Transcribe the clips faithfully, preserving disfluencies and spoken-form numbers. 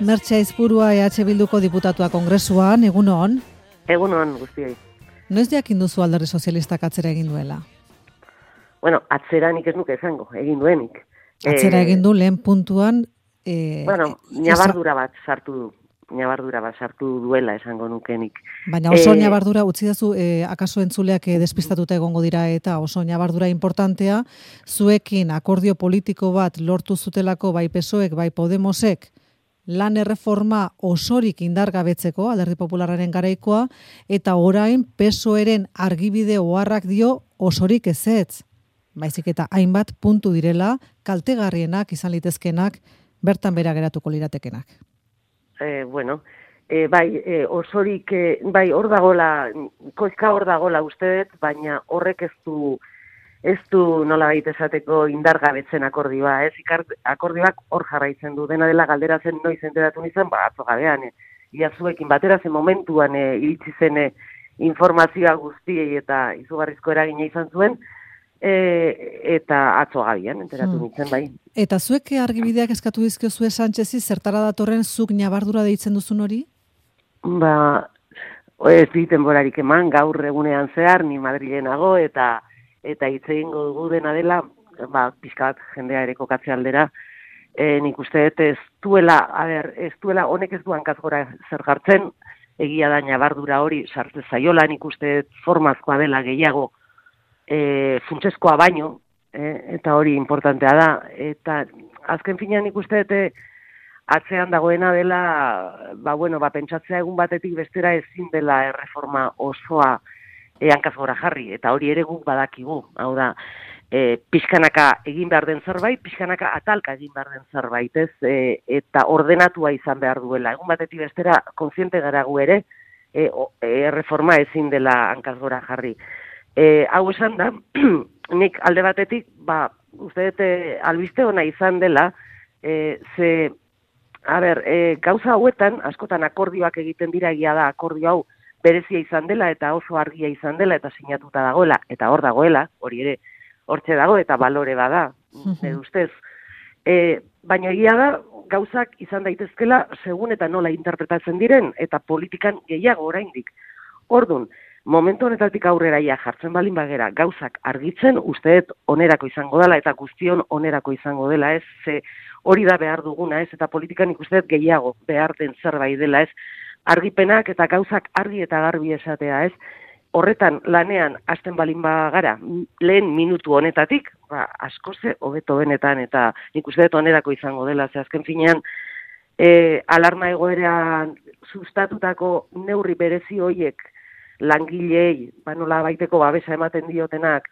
Mertxe Aizpurua E H Bilduko diputatua kongresuan, egunon? Egunon guztioi. Noiz jakin duzu Alderdi Sozialistak atzera egin duela? Bueno, atzera nik ez nuke esango, egin duenik. Atzera Eh, egin du lehen puntuan... Eh, bueno, ñabardura bat sartu du. Ñabardura bat sartu duela esango nukenik. Baina oso eh, ñabardura, utzi dazu, eh, akaso entzuleak eh, despistatuta egongo dira eta oso ñabardura importantea, zuekin akordio politiko bat lortu zutelako bai P S O Ek, bai Podemosek, lan erreforma osorik indargabetzeko, Alderdi Popularraren garaikoa, eta orain P S O Eren argibide oharrak dio osorik ezetz. Baizik eta hainbat puntu direla, kaltegarrienak izan litezkenak, bertan bera geratuko liratekenak. Eh, bueno, eh, bai, eh, osorik, eh, bai, hor dagola, koizka hor dagola uste dut, baina horrek ez du, ez du nola baita esateko indargabetzen akordioa, ez? Ikart, akordioak hor jarraitzen du, dena dela galdera zen noiz enteratu nizan, ba, atzo gabean, eh? Ia zuekin batera zen momentuan eh, iritsi zen eh, informazioa guztiei eta izugarrizko eragina izan zuen, E, eta atzo gabian, enteratu nintzen, bai. Eta zuek argibideak eskatu dizkiozue Sánchezi, zertara datorren zuk ñabardura deitzen duzun hori? Ba, ez diten borarik eman, gaur egunean zehar, ni Madrilenago, eta eta hitz egingo dugu dena dela, ba, pixkat jendea ere kokatze aldera, e, nik uste dut ez duela, a ber, ez duela, honek ez duan kazgora zer jartzen, egia da ñabardura hori sartze zaiola, nik uste dut formazkoa dela gehiago, E, funtsezkoa baino, e, eta hori importantea da, eta azken finean ikuste dute atzean dagoena dela, ba bueno, ba pentsatzea egun batetik bestera ezin dela erreforma osoa e, hankaz gora jarri, eta hori ere guk badakigu, hau da, e, pixkanaka egin behar den zerbait, pixkanaka atalka egin behar den zerbait, ez, e, eta ordenatua izan behar duela, egun batetik bestera kontziente gara gu ere, e, o, e, erreforma ezin dela hankaz gora jarri. E, hau esan da, nik alde batetik, ba, uste dute albiste ona izan dela, e, ze, a ber, e, gauza hauetan, askotan akordioak egiten dira egia da, akordio hau berezia izan dela, eta oso argia izan dela, eta sinatuta dagoela, eta hor dagoela, hori ere, hortxe dago, eta balore bada, nire ustez. E, baina egia da, gauzak izan daitezkela, segun eta nola interpretatzen diren, eta politikan gehiago oraindik. Ordun, momentu honetatik aurrera ja jartzen balin bagera gauzak argitzen, uste dut onerako izango dela eta guztion onerako izango dela, ez? Ze hori da behar duguna, ez? Eta politikan ikuste dut gehiago behar den zerbait dela, ez? Argipenak eta gauzak argi eta garbi esatea, ez? Horretan lanean hasten balin bagara lehen minutu honetatik, ba, askoze hobeto benetan eta nik uste dut onerako izango dela, ze azken finean e, alarma egoeran sustatutako neurri berezi hoiek langilei, ba nola baiteko babesa ematen diotenak,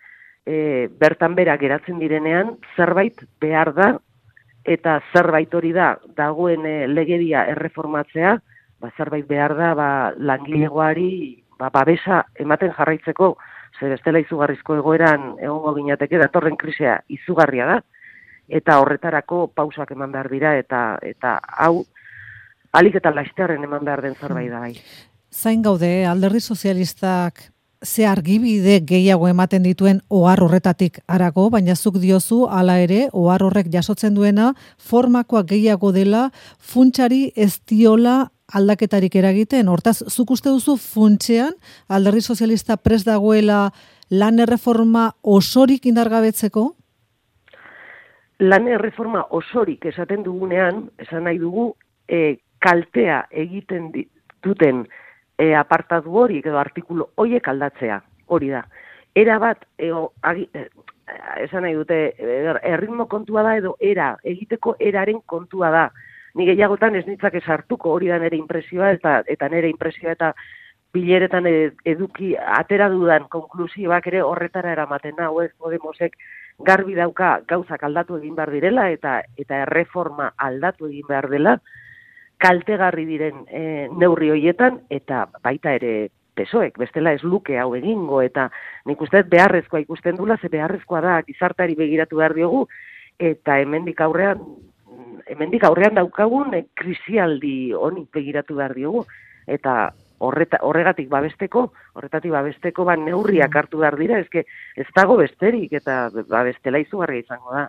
e, bertan bera geratzen direnean, zerbait behar da, eta zerbait hori da, dagoen e, legedia erreformatzea, ba, zerbait behar da, ba, langilegoari ba, babesa ematen jarraitzeko, zer bestela izugarrizko egoeran egongo ginateke datorren krisia izugarria da, eta horretarako pausak eman behar dira, eta eta hau, alik eta lasterren eman behar den zerbait da bai. Zain gaude, Alderdi Sozialistak ze argibide gehiago ematen dituen ohar horretatik harago, baina zuk diozu hala ere ohar horrek jasotzen duena formakoa gehiago dela, funtsari ez diola aldaketarik eragiten. Hortaz, zuk uste duzu funtsean Alderdi Sozialista prest dagoela lan erreforma osorik indargabetzeko? Lan erreforma osorik esaten dugunean, esan nahi dugu, e, kaltea egiten duten E, apartatu hori, edo artikulu horiek aldatzea, hori da. Era bat, e, o, agi, e, esan nahi dute, erritmo kontua da, edo era, egiteko eraren kontua da. Ni gehiagotan ez nitzak esartuko, hori da nire impresioa, eta, eta nire impresioa eta bileretan eduki atera dudan konklusioak ere horretara eramaten hau, ez Podemosek garbi dauka gauzak aldatu egin behar direla, eta, eta erreforma aldatu egin behar dela, kaltegarri diren e, neurri hoietan, eta baita ere P S O Ek, bestela ez luke hau egingo, eta nik uste beharrezkoa ikusten dula, ze beharrezkoa da gizartari begiratu behar diogu, eta hemendik aurrean, hemendik aurrean daukagun e, krisialdi honi begiratu behar diogu, eta horreta, horregatik babesteko, horretatik babesteko ba, neurriak hartu behar dira, ezke ez dago besterik, eta babestela izugarria izango da.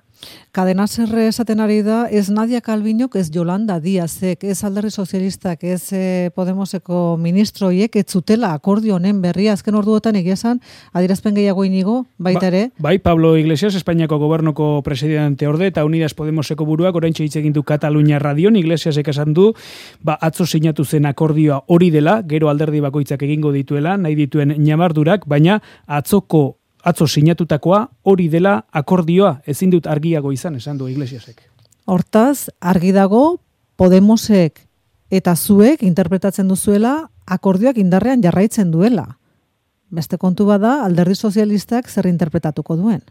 Cadena Serre esaten ari da, ez Nadia Calviñok, ez Yolanda Díazek, ez Alderdi Sozialistak, ez eh, Podemoseko ministroiek, ez zutela akordio honen berria, azken orduotan egia esan, adierazpen gehiago inigo, baita ere? Ba, bai, Pablo Iglesias, Espainiako gobernuko presidente orde, eta Unidas Podemoseko buruak oraintxe hitz egin du Katalunia radion, Iglesiasek esan du, ba, atzo sinatu zen akordioa hori dela, gero alderdi bakoitzak egingo dituela, nahi dituen ñabardurak, baina atzoko atzo sinatutakoa hori dela akordioa, ezin dut argiago izan, esan du Iglesiasek. Hortaz, argi dago Podemosek eta zuek interpretatzen duzuela akordioak indarrean jarraitzen duela. Beste kontu bada, Alderdi Sozialistak zer interpretatuko duen?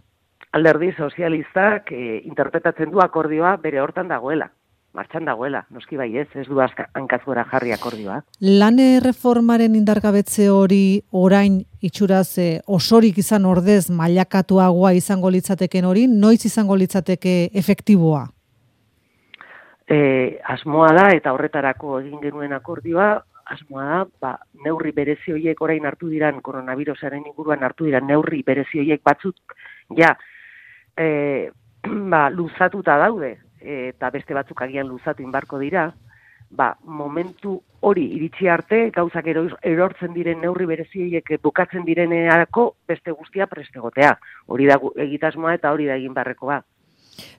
Alderdi Sozialistak e, interpretatzen du akordioa bere hortan dagoela. Martxan dagoela, noski bai ez, ez du hankazgora jarri akordioa. Lan erreformaren indargabetze hori orain itxuraz e, osorik izan ordez mailakatuagoa izango litzateken hori, noiz izango litzateke efektiboa? E, asmoa da, eta horretarako egin genuen akordioa, asmoa da, ba, neurri berezi horiek orain hartu diran, koronavirusaren inguruan hartu diran neurri berezi horiek batzuk, ja, e, ba, luzatuta daude, eta beste batzuk agian luzatu inbarko dira, ba, momentu hori iritsi arte, gauzak erortzen diren neurri bereziek bukatzen direnerako beste guztia prestegotea. Hori da egitasmoa eta hori da egin barrekoa.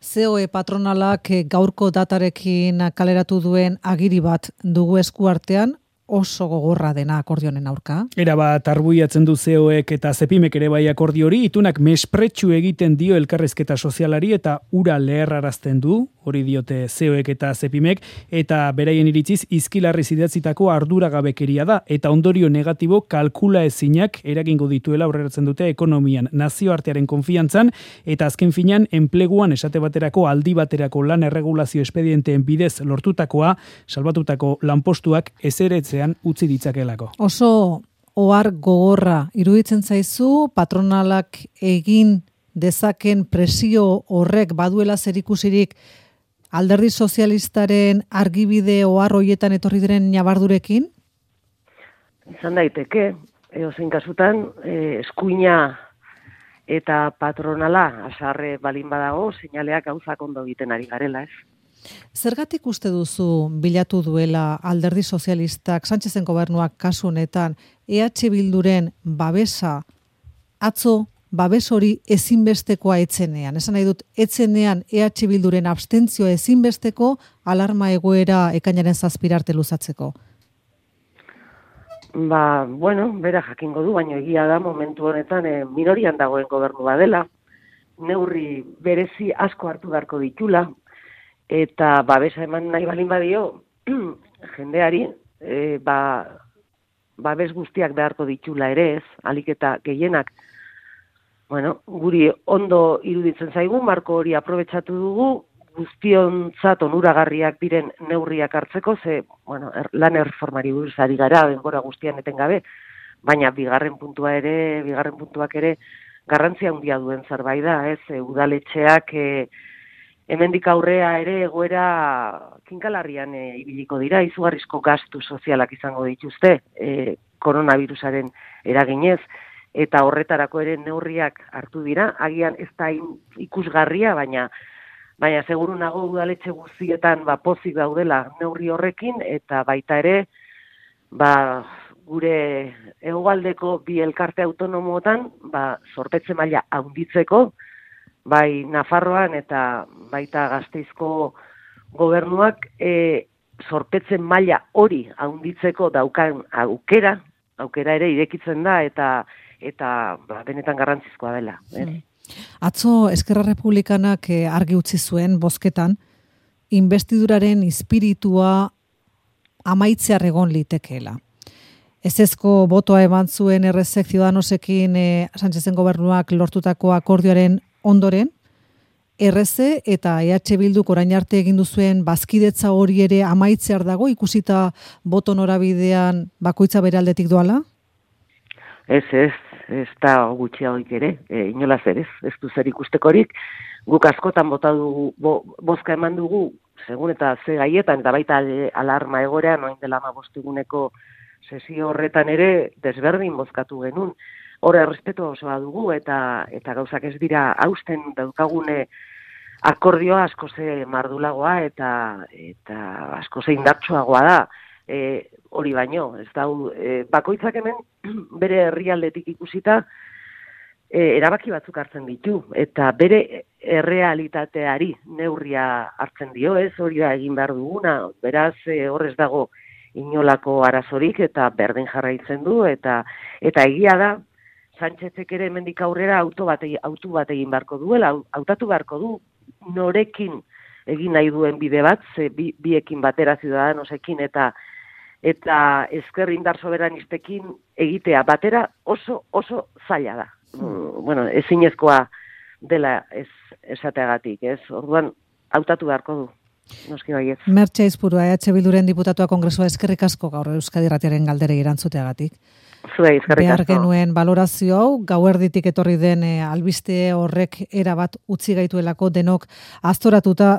C O E patronalak gaurko datarekin kaleratu duen agiri bat dugu esku artean, oso gogorra dena akordionen aurka. Era bat arbuiatzen du C O Ek eta Zepimek ere bai akordio hori, itunak mespretxu egiten dio elkarrizketa sozialari eta ura leherrarazten du, hori diote C O Ek eta Zepimek, eta beraien iritziz izkilarriz idatzitako arduragabekeria da, eta ondorio negatibo kalkula ezinak eragingo dituela aurreratzen dute ekonomian, nazioartearen konfiantzan, eta azken finean enpleguan esate baterako aldi baterako lan erregulazio espedienteen bidez lortutakoa, salbatutako lanpostuak ezeretze utzi ditzakelako. Oso ohar gogorra iruditzen zaizu, patronalak egin dezaken presio horrek baduela zerikusirik Alderdi Sozialistaren argibide ohar hoietan etorri diren ñabardurekin? Izan daiteke, edozein kasutan, eh, eskuina eta patronala asarre balin badago, seinaleak gauzak ondo egiten ari garela, ez? Zergatik uste duzu bilatu duela Alderdi Sozialistak, Sánchezen gobernuak kasu honetan, E H Bilduren babesa, atzo babes hori ezinbestekoa etzenean? Esan nahi dut, etzenean E H Bilduren abstentzioa ezinbesteko alarma egoera ekainaren zazpirarte luzatzeko? Ba, bueno, bera jakingo du, baina egia da momentu honetan eh, minorian dagoen gobernu badela, neurri berezi asko hartu beharko ditula, eta babesa eman nahi balin badio, jendeari, e, ba, babes guztiak beharko ditula ere ez, alik eta gehienak, bueno, guri ondo iruditzen zaigu, marko hori aprobetxatu dugu, guztiontzat onuragarriak diren neurriak hartzeko, ze, bueno, er, lan erreformari buruz ari gara, denbora guztian etengabe, baina bigarren puntua ere, bigarren puntuak ere, garrantzia handia duen zerbait da, ez, e, udaletxeak, e, hemendik aurrea ere egoera kinkalarrian e, ibiliko dira, izugarrizko gastu sozialak izango dituzte e, koronavirusaren eraginez, eta horretarako ere neurriak hartu dira, agian ez da ikusgarria, baina baina seguru nago udaletxe guztietan ba, pozik daudela neurri horrekin, eta baita ere ba, gure hegoaldeko bi elkarte autonomoetan ba, zorpetze maila handitzeko, bai Nafarroan eta baita Gasteizko gobernuak e, zorpetzen maila hori handitzeko daukan aukera, aukera ere irekitzen da eta eta ba, benetan garrantzizkoa dela. Eh? Mm. Atzo Eskerra Republikanak argi utzi zuen bozketan, investiduraren espiritua amaitzear egon litekeela. Ezezko botoa eman zuen errezek Ciudadanosekin e, Sánchezen gobernuak lortutako akordioaren ondoren, erreze eta E H Bilduk orain arte egin duzuen bazkidetza hori ere amaitzear dago, ikusita boto norabidean bakoitza bere aldetik doala? Ez, ez, ez da gutxiagoik ere, e, inolaz ere, ez du zer ikustekorik, guk askotan bota dugu, bo, bozka eman dugu, segun eta ze gaietan, eta baita alarma egorean, noin dela hamabost eguneko sesio horretan ere desberdin bozkatu genuen. Hor errespetu osoa dugu eta eta gauzak ez dira hausten daukagune akordioa asko ze mardulagoa eta eta asko ze indartsuagoa da. E, hori baino, ez da, e, bakoitzak hemen bere herrialdetik ikusita e, erabaki batzuk hartzen ditu eta bere errealitateari neurria hartzen dio, ez hori da egin behar duguna, beraz e, horrez dago inolako arazorik eta berdin jarraitzen du eta eta egia da Sánchezek ere hemendik aurrera auto bat auto bat egin beharko duela, hautatu beharko du norekin egin nahi duen bide bat, ze bi, biekin batera Ciudadanosekin eta eta ezker indar soberanistekin egitea batera oso oso zaila da. Mm, bueno, ezinezkoa dela ez esateagatik, ez? Orduan hautatu beharko du. Noski baietz. Mertxe Aizpurua, E H Bilduren diputatua Kongresua, eskerrik asko gaur Euskadi Irratiaren galderei erantzuteagatik. Zuei, eskerrik asko. Behar genuen balorazio hau, gauerditik etorri den e, albiste horrek erabat utzi gaituelako denok aztoratuta